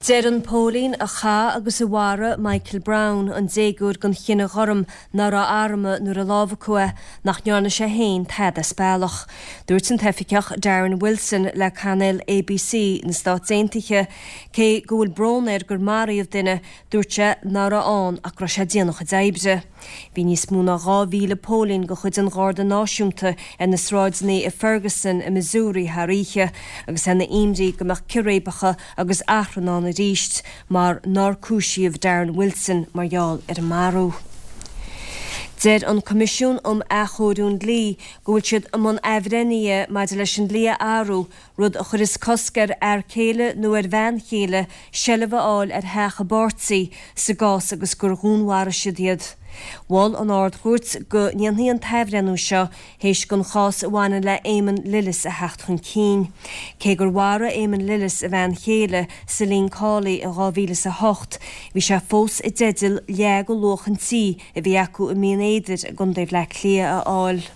Deir an póilín a chaith agus a mharaigh Michael Brown, an déagóir den chine ghorm nach raibh armtha nuair a lámhacadh é, nach ndearna sé féin tada as bealach. Dúirt an t-oifigeach Darren Wilson le cainéal ABC na Stát Aontaithe cé go bhfuil brón air gur maraíodh duine, dúirt sé nach raibh ann ach go raibh sé ag déanamh a chuid oibre. Bhí níos mó ná 2,000 póilín de chuid an Gharda Náisiúnta ar na sráideanna i Ferguson i Missouri thar oíche agus é ina imní go mbeadh círéibeacha agus achrann ann arís mar nár cúisíodh Darren Wilson mar gheall ar an marú. Deir an Coimisiún um Athchóiriú an Dlí go bhfuil siad i mbun athbhreithnithe maidir leis an dlí a athrú rud a chuireas cosc ar fhear céile nó ar bhean chéile seilbh a fháil ar theach a bpáirtí sa gcás agus gur dhúnmharaigh siad iad. Mhol an Ard-Chúirt go ndéanfaí an t-athbhreithniú seo théis don chás a bhaineann le Eamon Lillis a theacht chun cinn. Cé gur mharaigh Eamon Lillis a bhean chéile, Celine Cawley, in 2008, bhí sé fós i dteideal leath de luach an tí a bhí acu i mBinn Éadair i gContae Bhaile Átha Cliath a fháil.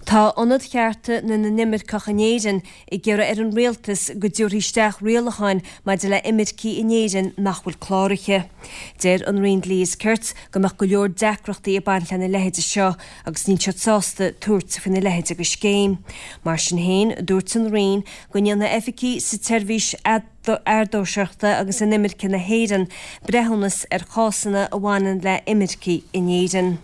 Tá Ionad Chearta na nImirceach in Éirinn ag iarraidh ar an Rialtas go dtabharfaí isteach rialacháin maidir le imircigh in Éirinn nach bhfuil cláraithe. Deir an Roinn Dlí is Cirt go mbeadh go leor deacrachtaí ag baint lena leithéide seo agus níl siad sásta tabhairt faoina leithéide de scéim. Mar sin féin, dúirt an Roinn go ndéanfaidh oifigigh sa tSeirbhís Eadóirseachta agus Inimirce na hÉireann breithiúnas ar chásanna a bhaineann le imircigh in Éirinn.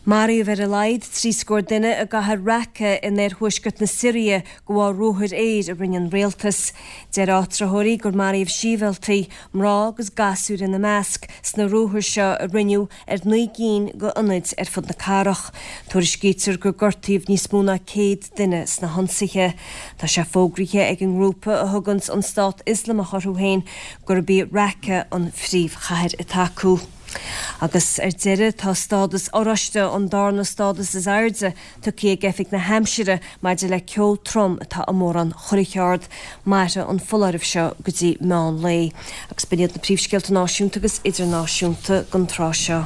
Maraíodh ar a laghad 30 scór duine i gcathair Raqqa in oirthuaisceart na Siria de bharr ruathair aeir a rinne an rialtas. Deir áitritheoirí gur maraíodh sibhialtaigh, mná agus gasúir ina measc, sna ruathair seo a rinneadh ar 9 gcinn d'ionaid ar fud na cathrach. Tuairiscítear gur gortaíodh níos mó ná 100 duine sna hionsaithe. Tá sé fógraithe ag an ngrúpa a thuganns an Stát Ioslamach orthu féin gurb í Raqqa an phríomhchathair atá acu. Agus ar deireadh, tá stádas oráiste, an darna stádas is airde, tugtha ag Oifig na hAimsire maidir le ceo trom atá i mórán Churrach Ard. Mairfidh an foláireamh seo go dtí meán lae. Agus b'in iad na príomhscéalta náisiúnta agus idirnáisiúnta don tráth seo.